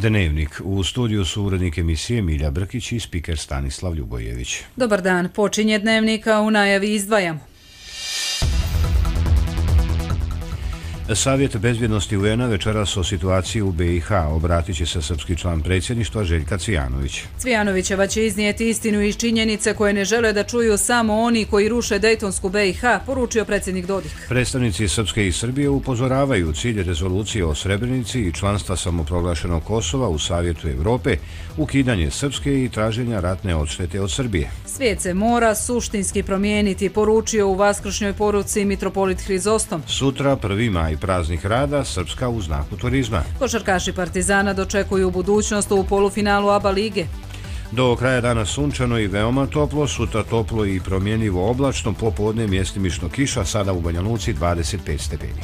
Dnevnik. U studiju su urednik emisije Milja Brkić i spiker Stanislav Ljubojević. Dobar dan. Počinje Dnevnika, u najavi izdvajamo. Savjet bezbjednosti UN-a večeras o situaciji u BiH obratit će se srpski član predsjedništva Željka Cvijanović. Cvijanovićeva će iznijeti istinu i činjenice koje ne žele da čuju samo oni koji ruše Dejtonsku BiH, poručio predsjednik Dodik. Predstavnici Srpske i Srbije upozoravaju cilj rezolucije o Srebrenici i članstva samoproglašenog Kosova u Savjetu Europe, ukidanje Srpske i traženja ratne odštete od Srbije. Svijet se mora suštinski promijeniti, poručio u vaskršnjoj poruci mitropolit Hrizostom. Sutra 1. maj, praznik rada, Srpska u znaku turizma. Košarkaši Partizana dočekuju budućnost u polufinalu ABA lige. Do kraja dana sunčano i veoma toplo, sutra toplo i promjenjivo oblačno, popodne mjestimično kiša, sada u Banja Luci 25 stepeni.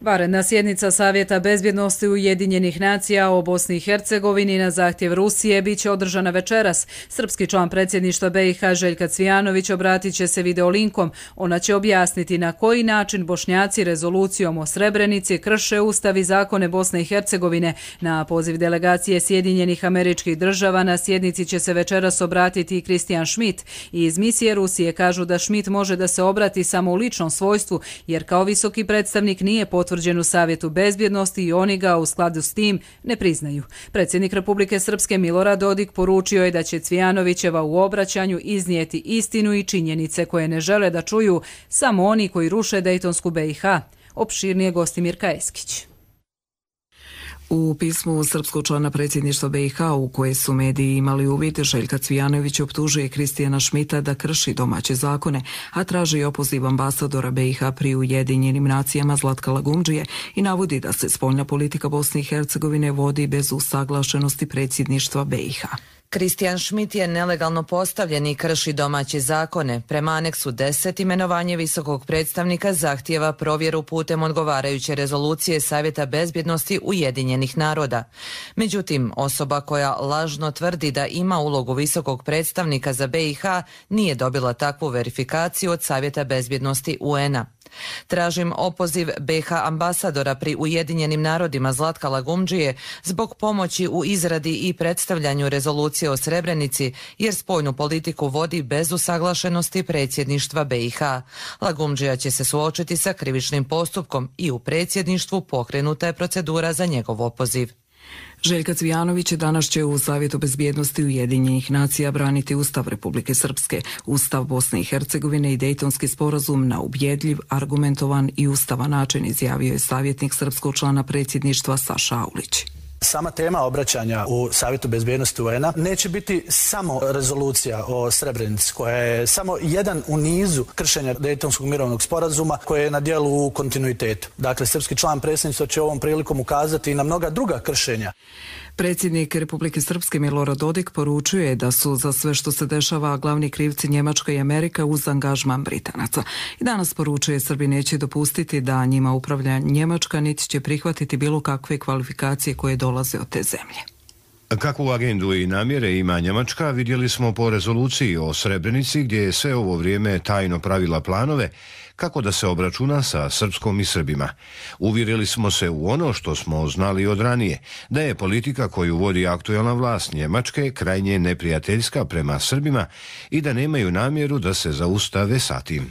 Vanredna sjednica Savjeta bezbjednosti Ujedinjenih nacija o Bosni i Hercegovini na zahtjev Rusije biće održana večeras. Srpski član predsjedništva BiH Željka Cvijanović obratit će se videolinkom. Ona će objasniti na koji način Bošnjaci rezolucijom o Srebrenici krše ustav i zakone Bosne i Hercegovine. Na poziv delegacije Sjedinjenih Američkih Država na sjednici će se večeras obratiti i Christian Schmidt. Iz misije Rusije kažu da Schmidt može da se obrati samo u ličnom svojstvu, jer kao visoki predstavnik nije potvrđen u Savjetu bezbjednosti i oni ga u skladu s tim ne priznaju. Predsjednik Republike Srpske Milorad Dodik poručio je da će Cvijanovićeva u obraćanju iznijeti istinu i činjenice koje ne žele da čuju samo oni koji ruše Dejtonsku BiH. Opširnije Gostimirka Eskić. U pismu srpskog člana predsjedništva BiH u koje su mediji imali uvid, Željka Cvijanović optužuje Christiana Schmidta da krši domaće zakone, a traži opoziv ambasadora BiH pri Ujedinjenim nacijama Zlatka Lagumdžije i navodi da se spoljna politika Bosne i Hercegovine vodi bez usaglašenosti predsjedništva BiH. Christian Schmidt je nelegalno postavljen i krši domaće zakone. Prema aneksu 10 imenovanje visokog predstavnika zahtijeva provjeru putem odgovarajuće rezolucije Savjeta bezbjednosti Ujedinjenih naroda. Međutim, osoba koja lažno tvrdi da ima ulogu visokog predstavnika za BiH nije dobila takvu verifikaciju od Savjeta bezbjednosti UN-a. Tražim opoziv BiH ambasadora pri Ujedinjenim narodima Zlatka Lagumdžije zbog pomoći u izradi i predstavljanju rezolucije o Srebrenici, jer spoljnu politiku vodi bez usaglašenosti predsjedništva BiH. Lagumdžija će se suočiti sa krivičnim postupkom i u predsjedništvu pokrenuta je procedura za njegov opoziv. Željka Cvijanović danas će u Savjetu bezbjednosti Ujedinjenih nacija braniti Ustav Republike Srpske, Ustav Bosne i Hercegovine i Dejtonski sporazum na ubjedljiv, argumentovan i ustavan način, izjavio je savjetnik srpskog člana predsjedništva Saša Aulić. Sama tema obraćanja u Savjetu bezbjednosti UN-a neće biti samo rezolucija o Srebrenici, koja je samo jedan u nizu kršenja Dejtonskog mirovnog sporazuma koje je na dijelu u kontinuitetu. Dakle, srpski član predsjedništva će ovom prilikom ukazati i na mnoga druga kršenja. Predsjednik Republike Srpske Milorad Dodik poručuje da su za sve što se dešava glavni krivci Njemačka i Amerika uz angažman Britanaca. I danas poručuje Srbi neće dopustiti da njima upravlja Njemačka, niti će prihvatiti bilo kakve kvalifikacije koje dolaze od te zemlje. Kakvu agendu i namjere ima Njemačka vidjeli smo po rezoluciji o Srebrenici, gdje je sve ovo vrijeme tajno pravila planove kako da se obračuna sa Srpskom i Srbima. Uvjerili smo se u ono što smo znali od ranije, da je politika koju vodi aktualna vlast Njemačke krajnje neprijateljska prema Srbima i da nemaju namjeru da se zaustave sa tim.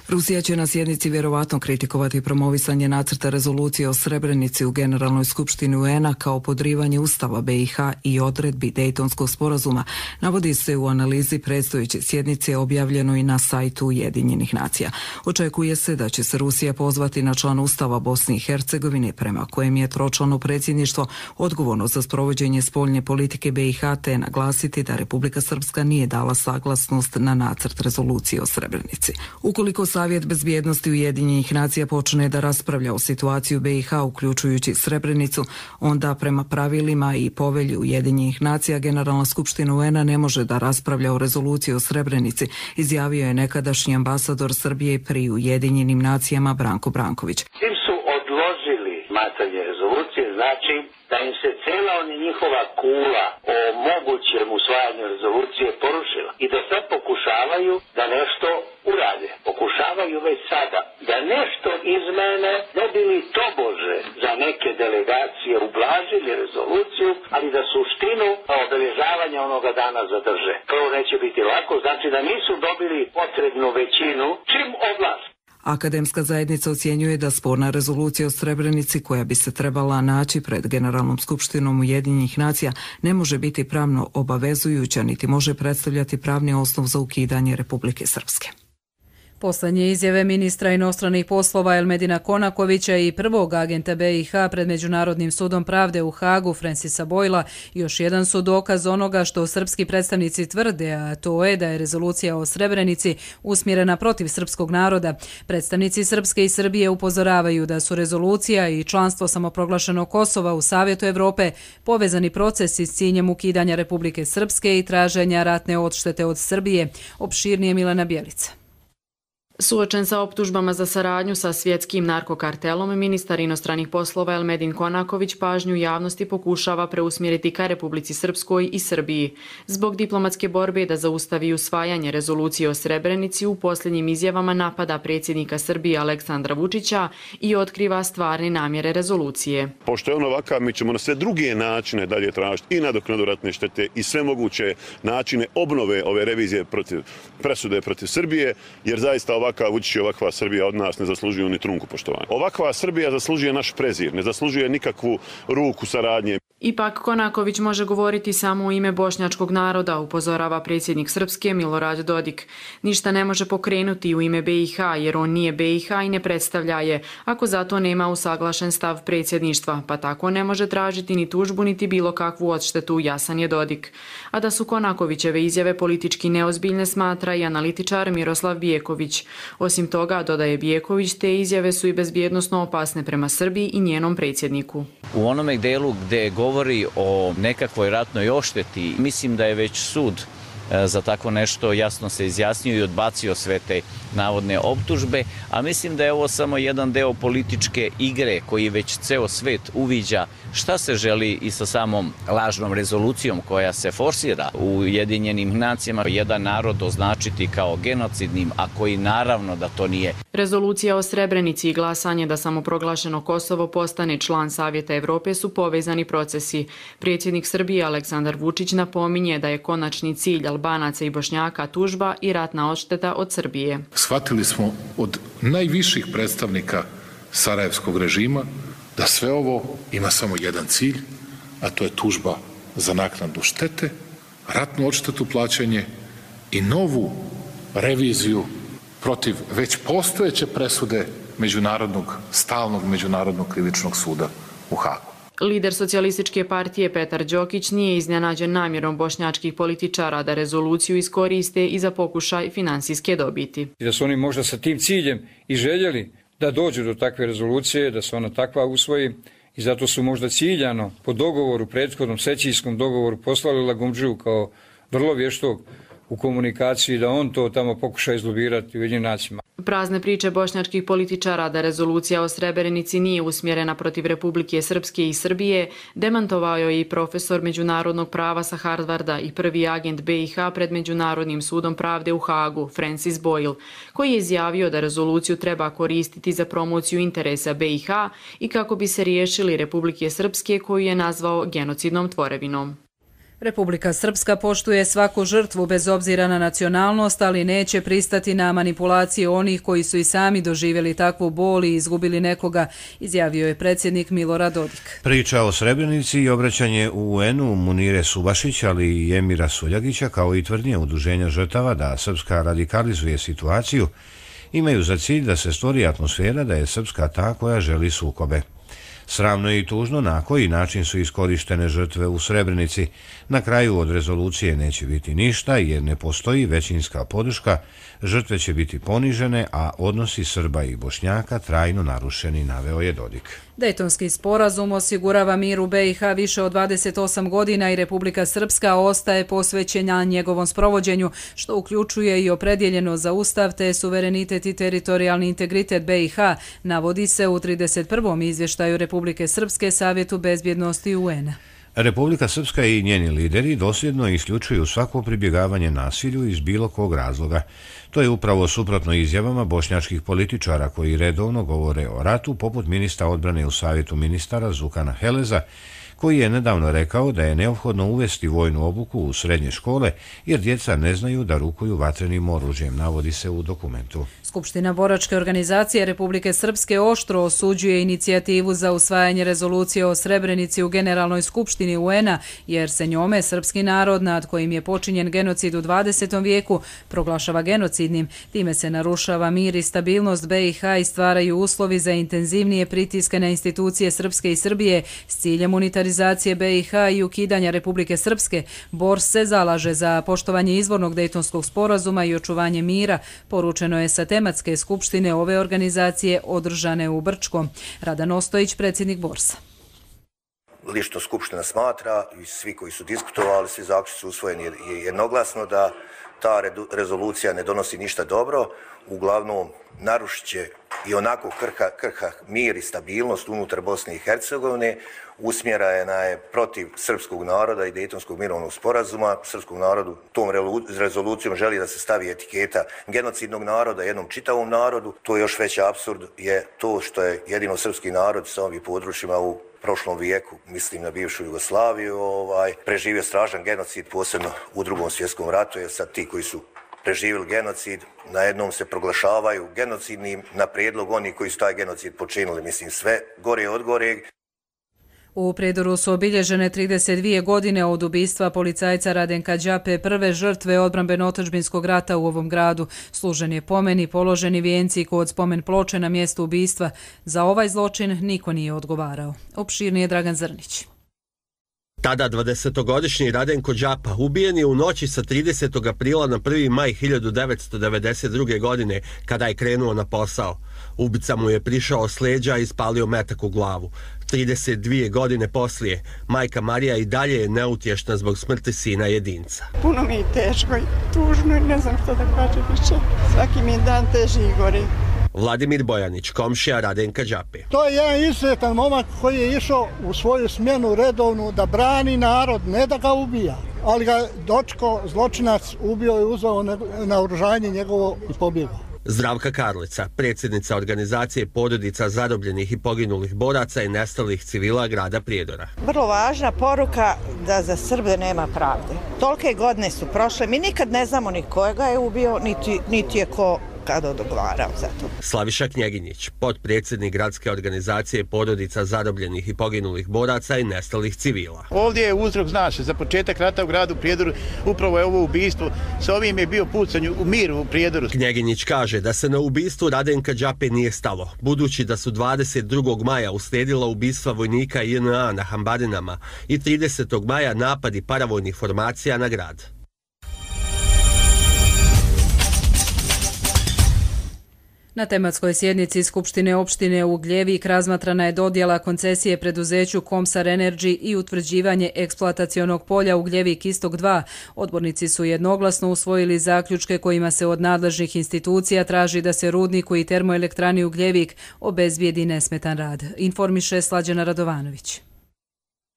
Rusija će na sjednici vjerovatno kritikovati promovisanje nacrta rezolucije o Srebrenici u Generalnoj skupštini UN-a kao podrivanje Ustava BiH i odredbi Dejtonskog sporazuma, navodi se u analizi predstojeće sjednice objavljeno i na sajtu Ujedinjenih nacija. Očekuje se da će se Rusija pozvati na član Ustava Bosne i Hercegovine, prema kojem je tročlano predsjedništvo odgovorno za sprovođenje spoljne politike BiH, te naglasiti da Republika Srpska nije dala saglasnost na nacrt rezolucije o Srebrenici. Ukoliko Savjet bezbjednosti Ujedinjenih nacija počne da raspravlja o situaciji u BiH, uključujući Srebrenicu, onda prema pravilima i povelji Ujedinjenih nacija Generalna skupština UN-a ne može da raspravlja o rezoluciji o Srebrenici, izjavio je nekadašnji ambasador Srbije pri Ujedinjenim nacijama Branko Branković. Tim su odložili razmatranje rezolucije, znači da im se cela njihova kula o mogućem usvajanju rezolucije porušila i da sad pokušavaju da nešto urade. Pokušavaju već sada da nešto izmene, ne bi li tobože za neke delegacije ublažili rezoluciju, ali da suštinu obeležavanja onoga dana zadrže. Prvo neće biti lako, znači da nisu dobili potrebnu većinu čim odlaze. Akademska zajednica ocjenjuje da sporna rezolucija o Srebrenici, koja bi se trebala naći pred Generalnom skupštinom Ujedinjenih nacija, ne može biti pravno obavezujuća niti može predstavljati pravni osnov za ukidanje Republike Srpske. Posljednje izjave ministra inostranih poslova Elmedina Konakovića i prvog agenta BiH pred Međunarodnim sudom pravde u Hagu Francisa Boyla još jedan su dokaz onoga što srpski predstavnici tvrde, a to je da je rezolucija o Srebrenici usmjerena protiv srpskog naroda. Predstavnici Srpske i Srbije upozoravaju da su rezolucija i članstvo samoproglašenog Kosova u Savjetu Evrope povezani procesi s ciljem ukidanja Republike Srpske i traženja ratne odštete od Srbije. Opširnije Milena Bjelica. Suočen sa optužbama za saradnju sa svjetskim narkokartelom, ministar inostranih poslova Elmedin Konaković pažnju javnosti pokušava preusmjeriti ka Republici Srpskoj i Srbiji. Zbog diplomatske borbe da zaustavi usvajanje rezolucije o Srebrenici, u posljednjim izjavama napada predsjednika Srbije Aleksandra Vučića i otkriva stvarne namjere rezolucije. Pošto je on ovakav, mi ćemo na sve druge načine dalje tražiti i nadoknadu ratne štete i sve moguće načine obnove ove revizije presude protiv Srbije, jer zaista ovakav Vučić i ovakva Srbija od nas ne zaslužuju ni trunku poštovanja. Ovakva Srbija zaslužuje naš prezir, ne zaslužuje nikakvu ruku saradnje. Ipak Konaković može govoriti samo u ime bošnjačkog naroda, upozorava predsjednik Srpske Milorad Dodik. Ništa ne može pokrenuti u ime BiH jer on nije BiH i ne predstavlja je, ako zato nema usaglašen stav predsjedništva, pa tako ne može tražiti ni tužbu niti bilo kakvu odštetu, jasan je Dodik. A da su Konakovićeve izjave politički neozbiljne smatra i analitičar Miroslav Bijeković. Osim toga, dodaje Bijeković, te izjave su i bezbjednosno opasne prema Srbiji i njenom predsjedniku. U onome delu gde govori o nekakvoj ratnoj odšteti, mislim da je već sud za tako nešto jasno se izjasnio i odbacio sve te navodne optužbe, a mislim da je ovo samo jedan deo političke igre koji već ceo svet uviđa šta se želi i sa samom lažnom rezolucijom koja se forsira u Ujedinjenim nacijama, jedan narod označiti kao genocidnim, a koji naravno da to nije. Rezolucija o Srebrenici i glasanje da samoproglašeno Kosovo postane član Savjeta Evrope su povezani procesi. Predsjednik Srbije Aleksandar Vučić napominje da je konačni cilj Albanaca i Bošnjaka tužba i ratna odšteta od Srbije. Shvatili smo od najviših predstavnika sarajevskog režima da sve ovo ima samo jedan cilj, a to je tužba za naknadu štete, ratnu odštetu plaćanje i novu reviziju protiv već postojeće presude stalnog međunarodnog krivičnog suda u Hagu. Lider socijalističke partije Petar Đokić nije iznenađen namjerom bošnjačkih političara da rezoluciju iskoriste i za pokušaj finansijske dobiti. Da su oni možda sa tim ciljem i željeli da dođu do takve rezolucije, da se ona takva usvoji i zato su možda ciljano po dogovoru, prethodnom sećijskom dogovoru poslali Lagumdžiju kao vrlo vještog u komunikaciji da on to tamo pokuša izlobirati u Ujedinjenim nacijama. Prazne priče bošnjačkih političara da rezolucija o Srebrenici nije usmjerena protiv Republike Srpske i Srbije demantovao je i profesor međunarodnog prava sa Harvarda i prvi agent BiH pred Međunarodnim sudom pravde u Hagu, Francis Boyle, koji je izjavio da rezoluciju treba koristiti za promociju interesa BiH i kako bi se riješili Republike Srpske koju je nazvao genocidnom tvorevinom. Republika Srpska poštuje svaku žrtvu bez obzira na nacionalnost, ali neće pristati na manipulacije onih koji su i sami doživjeli takvu bol i izgubili nekoga, izjavio je predsjednik Milorad Dodik. Priča o Srebrenici i obraćanje u UN-u Munire Subašić, ali i Emira Suljagića, kao i tvrdnje udruženja žrtava da Srpska radikalizuje situaciju, imaju za cilj da se stvori atmosfera da je Srpska ta koja želi sukobe. Sramno i tužno na koji način su iskorištene žrtve u Srebrenici. Na kraju od rezolucije neće biti ništa jer ne postoji većinska podrška, žrtve će biti ponižene, a odnosi Srba i Bošnjaka trajno narušeni, naveo je Dodik. Dejtonski sporazum osigurava mir u BiH više od 28 godina i Republika Srpska ostaje posvećena njegovom sprovođenju, što uključuje i opredjeljeno za ustav te suverenitet i teritorijalni integritet BiH, navodi se u 31. izvještaju Republike Srpske Savjetu bezbjednosti UN-a. Republika Srpska i njeni lideri dosljedno isključuju svako pribjegavanje nasilju iz bilo kog razloga. To je upravo suprotno izjavama bošnjačkih političara koji redovno govore o ratu, poput ministra odbrane u Savjetu ministara Zukana Heleza, koji je nedavno rekao da je neophodno uvesti vojnu obuku u srednje škole jer djeca ne znaju da rukuju vatrenim oružjem, navodi se u dokumentu. Skupština boračke organizacije Republike Srpske oštro osuđuje inicijativu za usvajanje rezolucije o Srebrenici u Generalnoj skupštini UN-a, jer se njome srpski narod nad kojim je počinjen genocid u 20. vijeku proglašava genocidnim. Time se narušava mir i stabilnost BiH i stvaraju uslovi za intenzivnije pritiske na institucije Srpske i Srbije s ciljem unitarizacije BiH i ukidanja Republike Srpske. Bors se zalaže za poštovanje izvornog Dejtonskog sporazuma i očuvanje mira, poručeno je sa tematske skupštine ove organizacije održane u Brčkom. Radan Ostojić, predsjednik Borsa. Lično skupština smatra i svi koji su diskutovali, svi zaključci su usvojeni jednoglasno da ta rezolucija ne donosi ništa dobro, uglavnom narušit će i onako krha mir i stabilnost unutar Bosne i Hercegovine, usmjerena je protiv srpskog naroda i Dejtonskog mirovnog sporazuma. Srpskom narodu tom rezolucijom želi da se stavi etiketa genocidnog naroda jednom čitavom narodu. To je još veći apsurd je to što je jedino srpski narod sa ovim područjima u prošlom vijeku, mislim na bivšu Jugoslaviju, preživio strašan genocid, posebno u Drugom svjetskom ratu, jer sad ti koji su preživjeli genocid, na jednom se proglašavaju genocidnim na prijedlog onih koji su taj genocid počinili, mislim sve gore od goreg. U Prijedoru su obilježene 32 godine od ubistva policajca Radenka Đape, prve žrtve odbrambeno-otadžbinskog rata u ovom gradu. Služen je pomen i položeni vijenci kod spomen ploče na mjestu ubistva. Za ovaj zločin niko nije odgovarao. Opširnije Dragan Zrnić. Tada 20-godišnji Radenko Đapa ubijen je u noći sa 30. aprila na 1. maj 1992. godine kada je krenuo na posao. Ubica mu je prišao s leđa i ispalio metak u glavu. 32 godine poslije, majka Marija i dalje je neutješna zbog smrti sina jedinca. Puno mi je teško i tužno i ne znam što da kažem više. Svaki mi je dan teži i gori. Vladimir Bojanić, komšija Radenka Đape. To je jedan izuzetan momak koji je išao u svoju smjenu redovnu da brani narod, ne da ga ubija, ali ga dočko zločinac ubio i uzeo naoružanje njegovo i pobjegao. Zdravka Karlica, predsjednica organizacije porodica zarobljenih i poginulih boraca i nestalih civila grada Prijedora. Vrlo važna poruka da za Srbe nema pravde. Tolike godine su prošle, mi nikad ne znamo ni kojega je ubio, niti je ko kada odgovarao za to. Slaviša Knjeginjić, potpredsjednik gradske organizacije porodica zarobljenih i poginulih boraca i nestalih civila. Ovdje je uzrok, znaš, za početak rata u gradu Prijedoru upravo je ovo ubistvo. Sa ovim je bio pucanj u miru u Prijedoru. Knjeginjić kaže da se na ubistvu Radenka Đape nije stalo, budući da su 22. maja uslijedila ubistva vojnika JNA na Hambarinama i 30. maja napadi paravojnih formacija na grad. Na tematskoj sjednici Skupštine opštine Ugljevik razmatrana je dodjela koncesije preduzeću Komsar Energy i utvrđivanje eksploatacionog polja Ugljevik Istok 2. Odbornici su jednoglasno usvojili zaključke kojima se od nadležnih institucija traži da se rudniku i termoelektrani Ugljevik obezbijedi nesmetan rad. Informiše Slađana Radovanović.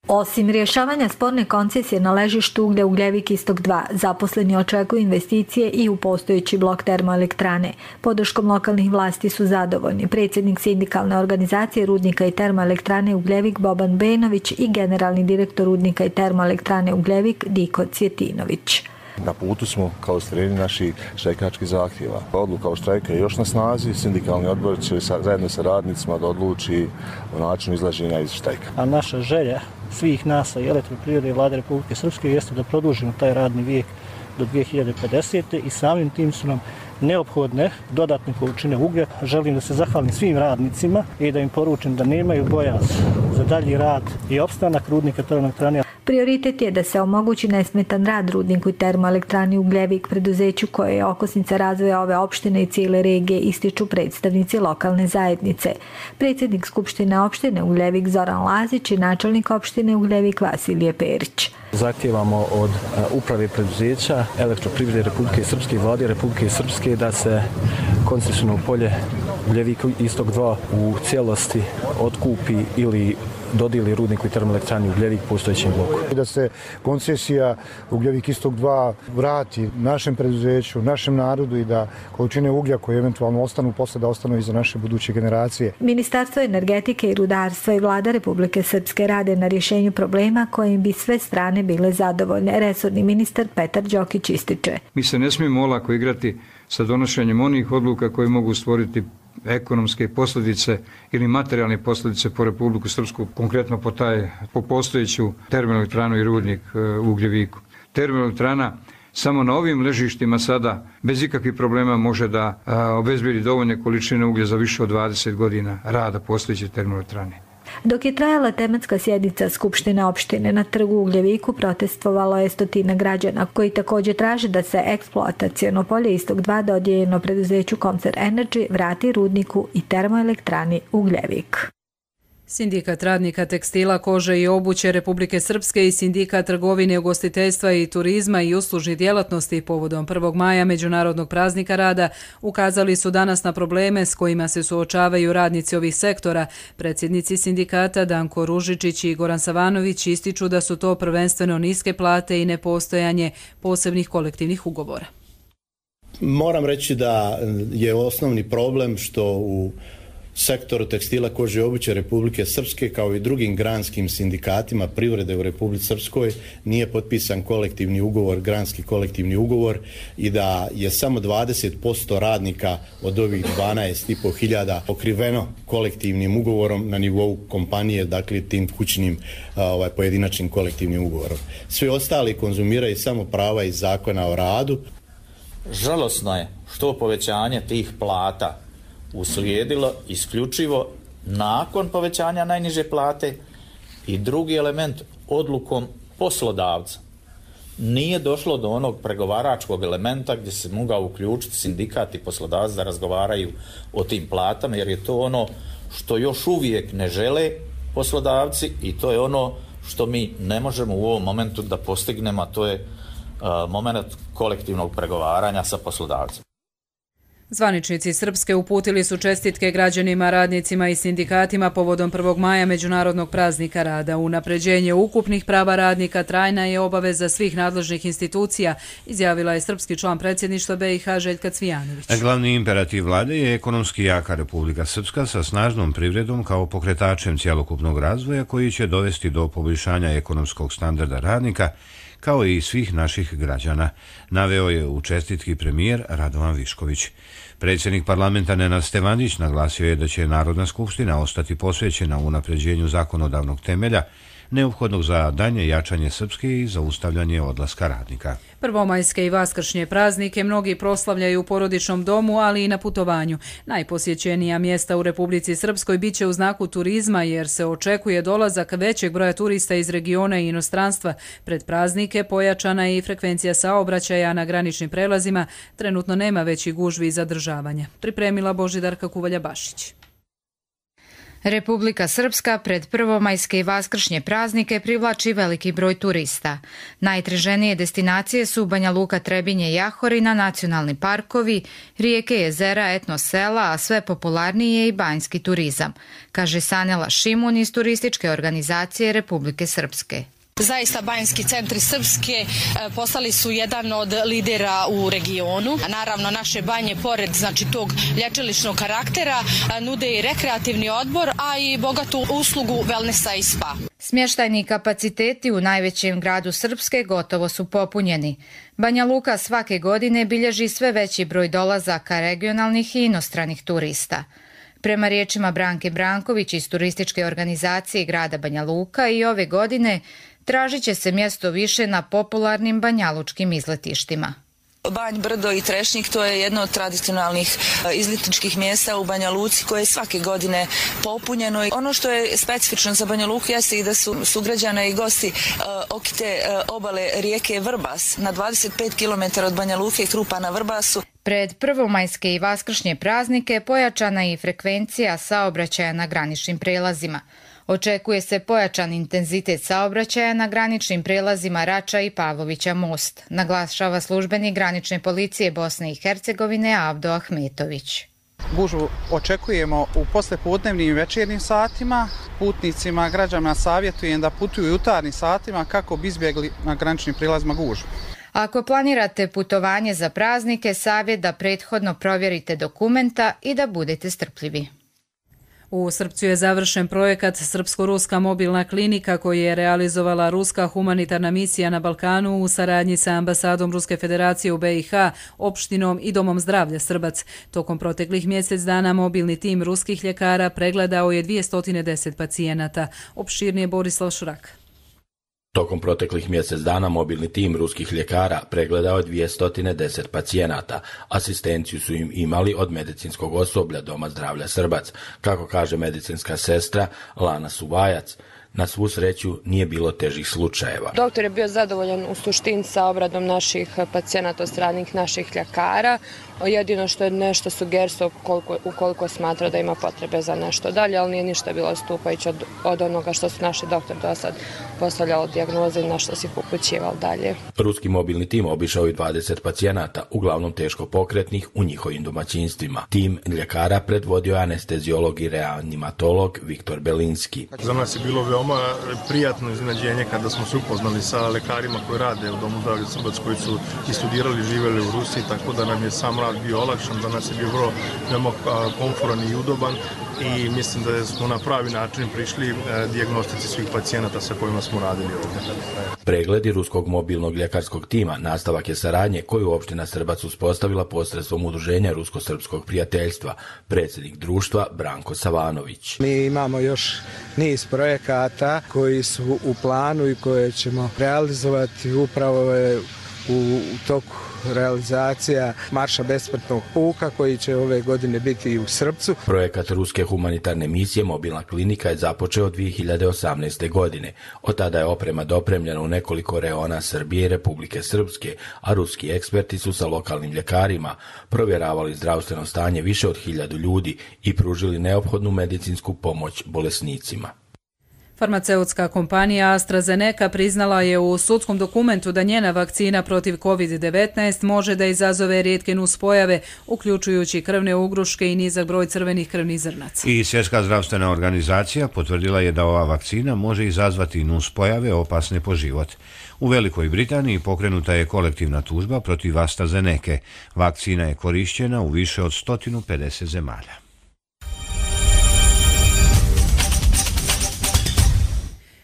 Osim rješavanja sporne koncesije na ležištu uglja Ugljevik Istok 2, zaposleni očekuju investicije i u postojeći blok termoelektrane. Podrškom lokalnih vlasti su zadovoljni predsjednik sindikalne organizacije rudnika i termoelektrane Ugljevik Boban Benović i generalni direktor rudnika i termoelektrane Ugljevik Diko Cvjetinović. Na putu smo kao ostvarenje naših štrajkačkih zahtjeva. Odluka o štrajka je još na snazi, sindikalni odbor će zajedno sa radnicima da odluči o načinu izlaženja iz štrajka. A naša želja svih nas i Elektroprivrede i Vlade Republike Srpske jeste da produžimo taj radni vijek do 2050. i samim tim su nam neophodne dodatne količine uglja. Želim da se zahvalim svim radnicima i da im poručim da nemaju bojaz za dalji rad i opstanak rudnika termoelektrane. Prioritet je da se omogući nesmetan rad rudniku i termoelektrani Ugljevik, preduzeću koje je okosnica razvoja ove opštine i cijele regije, ističu predstavnici lokalne zajednice. Predsjednik Skupštine opštine Ugljevik Zoran Lazić i načelnik opštine Ugljevik Vasilije Perić. Zahtijevamo od uprave preduzeća Elektroprivrede Republike Srpske i Vlade Republike Srpske da se koncesionalno polje Ugljevik Istok 2 u cijelosti otkupi ili dodijeli rudniku i termoelektrani Ugljevik postojećem bloku. Da se koncesija Ugljevik Istok 2 vrati našem preduzeću, našem narodu i da količine uglja koje eventualno ostanu posle da ostanu i za naše buduće generacije. Ministarstvo energetike i rudarstva i Vlada Republike Srpske rade na rješenju problema kojim bi sve strane bile zadovoljne. Resorni ministar Petar Đokić ističe. Mi se ne smijemo olako igrati sa donošenjem onih odluka koje mogu stvoriti ekonomske posljedice ili materijalne posljedice po Republiku Srpsku, konkretno po postojeću termoelektranu i rudnik u Ugljeviku. Termoelektrana samo na ovim ležištima sada bez ikakvih problema može da obezbijedi dovoljne količine uglja za više od 20 godina rada postojeće termoelektrane. Dok je trajala tematska sjednica Skupštine opštine na trgu u Ugljeviku, protestovalo je 100 građana koji također traže da se eksploataciono polje Istok 2 dodijeljeno preduzeću Koncern Energy vrati rudniku i termoelektrani Ugljevik. Sindikat radnika tekstila, kože i obuće Republike Srpske i Sindikat trgovine, ugostiteljstva i turizma i uslužnih djelatnosti povodom 1. maja Međunarodnog praznika rada ukazali su danas na probleme s kojima se suočavaju radnici ovih sektora. Predsjednici sindikata Danko Ružičić i Goran Savanović ističu da su to prvenstveno niske plate i nepostojanje posebnih kolektivnih ugovora. Moram reći da je osnovni problem što u sektoru tekstila, kože i obuće Republike Srpske kao i drugim granskim sindikatima privrede u Republici Srpskoj nije potpisan kolektivni ugovor, granski kolektivni ugovor i da je samo 20% radnika od ovih 12.500 pokriveno kolektivnim ugovorom na nivou kompanije, dakle tim kućnim pojedinačnim kolektivnim ugovorom. Svi ostali konzumiraju samo prava iz zakona o radu. Žalosno je što povećanje tih plata uslijedilo isključivo nakon povećanja najniže plate i drugi element odlukom poslodavca. Nije došlo do onog pregovaračkog elementa gdje se mogao uključiti sindikat i poslodavac da razgovaraju o tim platama, jer je to ono što još uvijek ne žele poslodavci i to je ono što mi ne možemo u ovom momentu da postignemo, a to je moment kolektivnog pregovaranja sa poslodavcem. Zvaničnici Srpske uputili su čestitke građanima, radnicima i sindikatima povodom 1. maja Međunarodnog praznika rada. Unapređenje ukupnih prava radnika trajna je obaveza svih nadležnih institucija, izjavila je srpski član predsjedništva BiH Željka Cvijanović. Glavni imperativ vlade je ekonomski jaka Republika Srpska sa snažnom privredom kao pokretačem cjelokupnog razvoja koji će dovesti do poboljšanja ekonomskog standarda radnika kao i svih naših građana, naveo je u čestitki premijer Radovan Višković. Predsjednik parlamenta Nenad Stevanić naglasio je da će Narodna skupština ostati posvećena unapređenju zakonodavnog temelja neophodnog za dalje jačanje Srpske i zaustavljanje odlaska radnika. Prvomajske i vaskršnje praznike mnogi proslavljaju u porodičnom domu, ali i na putovanju. Najposjećenija mjesta u Republici Srpskoj biće u znaku turizma, jer se očekuje dolazak većeg broja turista iz regiona i inostranstva. Pred praznike pojačana je i frekvencija saobraćaja na graničnim prelazima. Trenutno nema većih gužvi i zadržavanja. Pripremila Božidarka Kuvalja-Bašić. Republika Srpska pred prvomajske i vaskršnje praznike privlači veliki broj turista. Najtraženije destinacije su Banja Luka, Trebinje, Jahorina, nacionalni parkovi, rijeke, jezera, etno sela, a sve popularniji je i banjski turizam, kaže Sanela Šimun iz turističke organizacije Republike Srpske. Zaista banjski centri Srpske postali su jedan od lidera u regionu. Naravno, naše banje, pored tog lječilišnog karaktera, nude i rekreativni odbor, a i bogatu uslugu wellnessa i spa. Smještajni kapaciteti u najvećem gradu Srpske gotovo su popunjeni. Banja Luka svake godine bilježi sve veći broj dolazaka regionalnih i inostranih turista. Prema riječima Branke Branković iz turističke organizacije grada Banja Luka, i ove godine tražit će se mjesto više na popularnim banjalučkim izletištima. Banj, Brdo i Trešnik, to je jedno od tradicionalnih izletničkih mjesta u Banja Luci koje je svake godine popunjeno. Ono što je specifično za Banja Luku jeste i da su sugrađane i gosti okite obale rijeke Vrbas na 25 km od Banja Luke i Krupa na Vrbasu. Pred prvomajske i vaskršnje praznike pojačana je i frekvencija saobraćaja na graničnim prelazima. Očekuje se pojačan intenzitet saobraćaja na graničnim prelazima Rača i Pavlovića most, naglašava službenik granične policije Bosne i Hercegovine Avdo Ahmetović. Gužvu očekujemo u poslepodnevnim i večernjim satima. Putnicima, građanima savjetujem da putuju u jutarnjim satima kako bi izbjegli na graničnim prilazima gužvu. Ako planirate putovanje za praznike, savjet da prethodno provjerite dokumenta i da budete strpljivi. U Srpcu je završen projekat Srpsko-ruska mobilna klinika koji je realizovala Ruska humanitarna misija na Balkanu u saradnji sa ambasadom Ruske federacije u BiH, opštinom i Domom zdravlja Srbac. Tokom proteklih mjesec dana mobilni tim ruskih ljekara pregledao je 210 pacijenata. Opširnije Borislav Šurak. Tokom proteklih mjesec dana mobilni tim ruskih ljekara pregledao je 210 pacijenata. Asistenciju su im imali od medicinskog osoblja Doma zdravlja Srbac, kako kaže medicinska sestra Lana Suvajac. Na svu sreću nije bilo težih slučajeva. Doktor je bio zadovoljan u suštini sa obradom naših pacijenata od strane naših ljekara. Jedino što je nešto sugerstvo ukoliko smatra da ima potrebe za nešto dalje, ali nije ništa bilo odstupajuće od onoga što su naši doktor do sad postavljali dijagnoze i na što se ih upućivali dalje. Ruski mobilni tim obišao i 20 pacijenata, uglavnom teško pokretnih, u njihovim domaćinstvima. Tim ljekara predvodio je anesteziolog i reanimatolog Viktor Belinski. Za nas je bilo veoma prijatno iznenađenje kada smo se upoznali sa lekarima koji rade u Domu zdravlja Srbac, koji su i studirali, živjeli u Rusiji, tako da nam je sam rad bio olakšan, za nas je bio vrlo veoma komforan i udoban i mislim da smo na pravi način prišli dijagnostici svih pacijenata sa kojima smo radili ovdje. Pregledi ruskog mobilnog ljekarskog tima nastavak je saradnje koju opština Srbac uspostavila posredstvom udruženja Rusko-srpskog prijateljstva, predsjednik društva Branko Savanović. Mi imamo još niz projekata koji su u planu i koje ćemo realizovati upravo u toku realizacija Marša besplatnog puka koji će ove godine biti i u Srpcu. Projekat Ruske humanitarne misije Mobilna klinika je započeo 2018. godine. Od tada je oprema dopremljena u nekoliko reona Srbije i Republike Srpske, a ruski eksperti su sa lokalnim ljekarima provjeravali zdravstveno stanje više od 1000 ljudi i pružili neophodnu medicinsku pomoć bolesnicima. Farmaceutska kompanija AstraZeneca priznala je u sudskom dokumentu da njena vakcina protiv COVID-19 može da izazove rijetke nuspojave, uključujući krvne ugruške i nizak broj crvenih krvnih zrnaca. I Svjetska zdravstvena organizacija potvrdila je da ova vakcina može izazvati nuspojave opasne po život. U Velikoj Britaniji pokrenuta je kolektivna tužba protiv AstraZeneca. Vakcina je korišćena u više od 150 zemalja.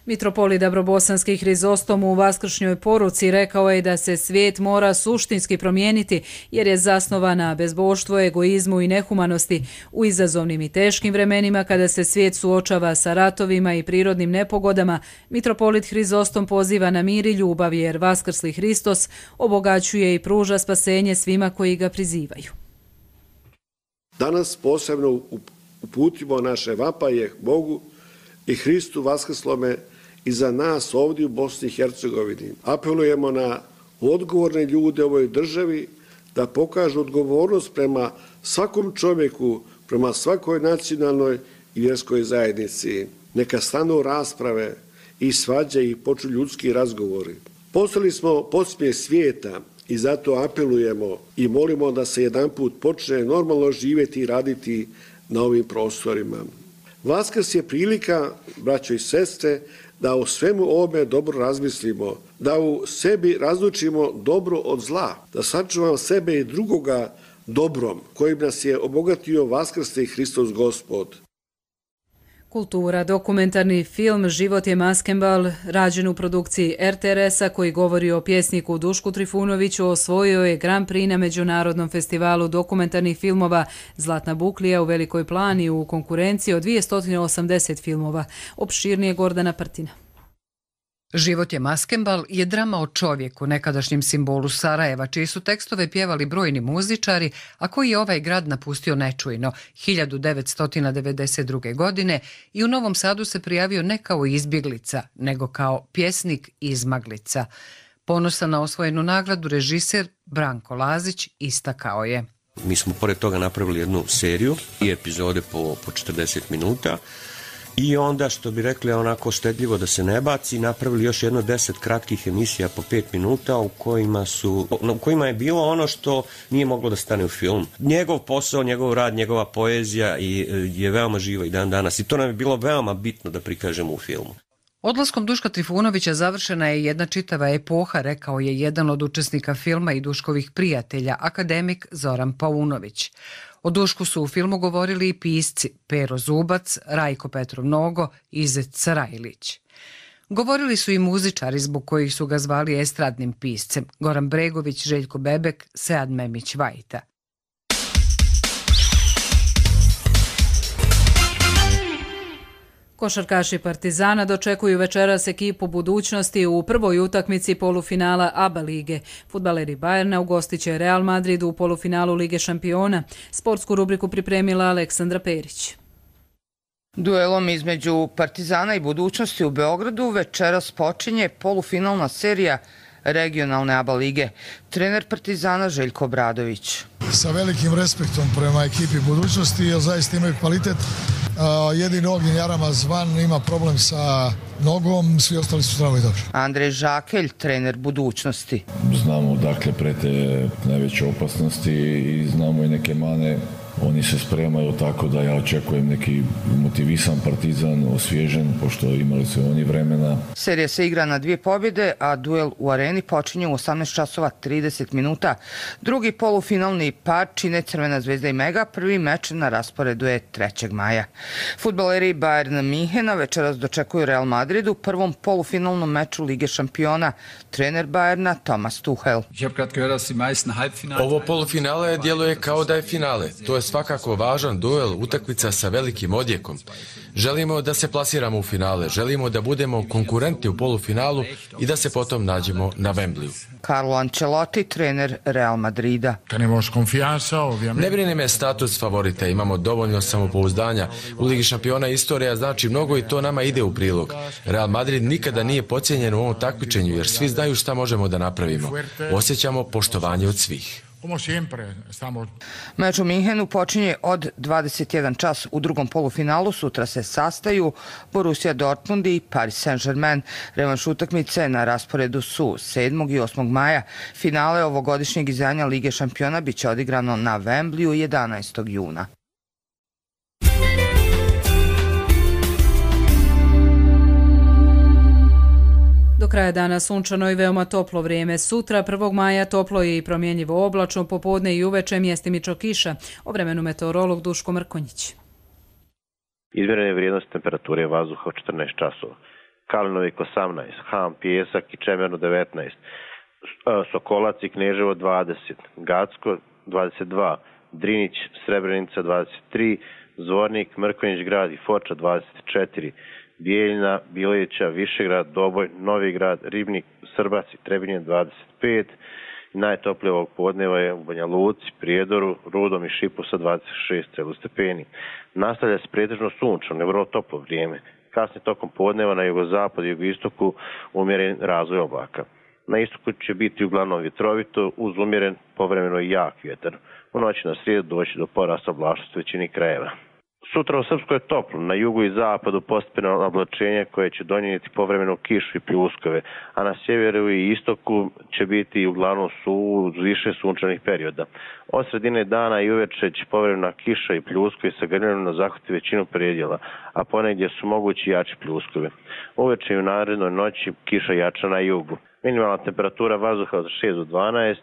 Mitropolit Dabrobosanski Hrizostom u vaskršnjoj poruci rekao je da se svijet mora suštinski promijeniti jer je zasnovan na bezboštvu, egoizmu i nehumanosti. U izazovnim i teškim vremenima kada se svijet suočava sa ratovima i prirodnim nepogodama, Mitropolit Hrizostom poziva na mir i ljubav jer vaskrsli Hristos obogaćuje i pruža spasenje svima koji ga prizivaju. Danas posebno uputimo naše vapaje Bogu i Hristu vaskrslome i za nas ovdje u Bosni i Hercegovini. Apelujemo na odgovorne ljude u ovoj državi da pokažu odgovornost prema svakom čovjeku, prema svakoj nacionalnoj i vjerskoj zajednici. Neka stanu rasprave i svađe i počnu ljudski razgovori. Postali smo podsmijeh svijeta i zato apelujemo i molimo da se jedanput počne normalno živjeti i raditi na ovim prostorima. Vaskrs je prilika, braćo i sestre, da o svemu ovome dobro razmislimo, da u sebi razlučimo dobro od zla, da sačuvamo sebe i drugoga dobrom, kojim nas je obogatio vaskrsli Hristos Gospod. Kultura, dokumentarni film Život je maskembal, rađen u produkciji RTRS-a koji govori o pjesniku Dušku Trifunoviću, osvojio je Grand Prix na Međunarodnom festivalu dokumentarnih filmova Zlatna buklija u Velikoj Plani u konkurenciji od 280 filmova. Opširnije Gordana Prtina. Život je maskembal je drama o čovjeku, nekadašnjem simbolu Sarajeva, čiji su tekstove pjevali brojni muzičari, a koji je ovaj grad napustio nečujno 1992. godine i u Novom Sadu se prijavio ne kao izbjeglica, nego kao pjesnik izmaglica. Ponosan na osvojenu nagradu, režiser Branko Lazić istakao je: Mi smo pored toga napravili jednu seriju i epizode po 40 minuta. I onda, što bi rekli, onako štedljivo da se ne baci, napravili još jedno 10 kratkih emisija po 5 minuta u kojima je bilo ono što nije moglo da stane u film. Njegov posao, njegov rad, njegova poezija je veoma živa i dan danas i to nam je bilo veoma bitno da prikažemo u filmu. Odlaskom Duška Trifunovića završena je jedna čitava epoha, rekao je jedan od učesnika filma i Duškovih prijatelja, akademik Zoran Paunović. O Dušku su u filmu govorili i pisci Pero Zubac, Rajko Petrov Nogo i Zec Sarajlić. Govorili su i muzičari zbog kojih su ga zvali estradnim piscem: Goran Bregović, Željko Bebek, Sead Memić Vajta. Košarkaši Partizana dočekuju večeras ekipu budućnosti u prvoj utakmici polufinala ABA lige. Fudbaleri Bajerna ugostit će Real Madrid u polufinalu Lige šampiona. Sportsku rubriku pripremila Aleksandra Perić. Duelom između Partizana i budućnosti u Beogradu večeras počinje polufinalna serija regionalne ABA lige. Trener Partizana Željko Obradović. Sa velikim respektom prema ekipi budućnosti, jer zaista imaju kvalitet. Jedini Ognjen Jaramaz van ima problem sa nogom, svi ostali su zdravo i dobro. Andrej Žakelj, trener budućnosti. Znamo dakle prete najveće opasnosti i znamo i neke mane. Oni se spremaju tako da ja očekujem neki motivisan Partizan, osvježen, pošto imali su oni vremena. Serija se igra na 2 pobjede, a duel u areni počinje u 18 časova 30 minuta. Drugi polufinalni par čine Crvena zvezda i Mega, prvi meč na rasporedu je 3. maja. Fudbaleri Bayern Minhena večeras dočekuju Real Madrid u prvom polufinalnom meču Lige šampiona. Trener Bayerna Thomas Tuchel. Ovo polufinale djeluje kao da je finale. To je svakako važan duel, utakmica sa velikim odjekom. Želimo da se plasiramo u finale, želimo da budemo konkurentni u polufinalu i da se potom nađemo na Wembleyu. Carlo Ancelotti, trener Real Madrida. Ne brine me status favorita, imamo dovoljno samopouzdanja. U Ligi šampiona istorija znači mnogo i to nama ide u prilog. Real Madrid nikada nije podcijenjen u ovom takmičenju jer svi znaju šta možemo da napravimo. Osjećamo poštovanje od svih. Meč u Minhenu počinje od 21 čas. U drugom polufinalu sutra se sastaju Borussia Dortmund i Paris Saint-Germain. Revanš utakmice na rasporedu su 7. i 8. maja. Finale ovogodišnjeg izdanja Lige šampiona biće odigrano na Wembleyu 11. juna. Do kraja dana sunčano i veoma toplo vrijeme. Sutra, 1. maja, toplo je i promjenjivo oblačno, popodne i uveče mjestimično kiša. O vremenu meteorolog Duško Mrkonjić. Izmjerene vrijednosti temperature vazduha 14 časova. Kalinovik 18, Ham, Pijesak i Čemerno 19, Sokolac i Kneževo 20, Gacko 22, Drinić, Srebrenica 23, Zvornik, Mrkonjić grad i Foča 24, Bijeljina, Bileća, Višegrad, Doboj, Novi grad, Ribnik, Srbac i Trebinje 25. I najtoplije ovog podneva je u Banja Luci, Prijedoru, Rudom i Šipu sa 26 stepeni. Nastavlja se pretežno sunčano, vrlo toplo vrijeme. Kasnije tokom podneva na jugozapadu i jugoistoku umjeren razvoj oblaka. Na istoku će biti uglavnom vjetrovito uz umjeren povremeno i jak vjetar. U noći na srijedu doći do porasta oblačnosti u većini krajeva. Sutra u Srpskoj je toplo, na jugu i zapadu postepeno oblačenje koje će donijeti povremenu kišu i pljuskove, a na sjeveru i istoku će biti uglavnom uz više sunčanih perioda. Od sredine dana i uveče će povremena kiša i pljuskovi sa grmljenom zahvati većinu predjela, a ponegdje su mogući jači pljuskovi. Uveče i u narednoj noći kiša jača na jugu. Minimalna temperatura vazduha od 6 do 12,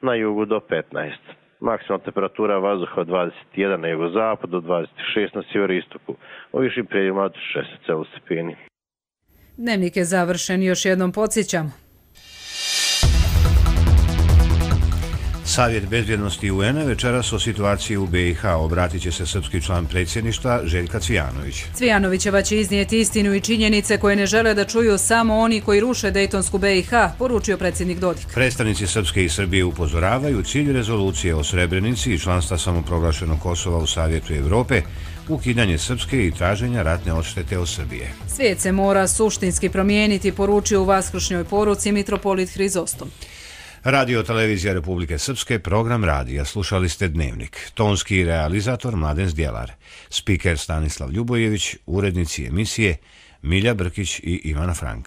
na jugu do 15. Maksimalna temperatura vazduha od 21 na jugozapadu, do 26 na sjeveroistoku, u višim predjelima od 16 stepeni. Dnevnik je završen, još jednom podsjećam. Savjet bezbjednosti UN-a večeras o situaciji u BiH obratit će se srpski član predsjedništva Željka Cvijanović. Cvijanovićeva će iznijeti istinu i činjenice koje ne žele da čuju samo oni koji ruše Dejtonsku BiH, poručio predsjednik Dodik. Predstavnici Srpske i Srbije upozoravaju cilj rezolucije o Srebrenici i članstva samoproglašenog Kosova u Savjetu Evrope, ukidanje Srpske i traženja ratne odštete od Srbije. Svijet se mora suštinski promijeniti, poručio u vaskršnjoj poruci mitropolit Hrizostom. Radio Televizija Republike Srpske, program radija. Slušali ste Dnevnik. Tonski realizator Mladen Zdjelar. Spiker Stanislav Ljubojević, urednici emisije Milja Brkić i Ivana Frank.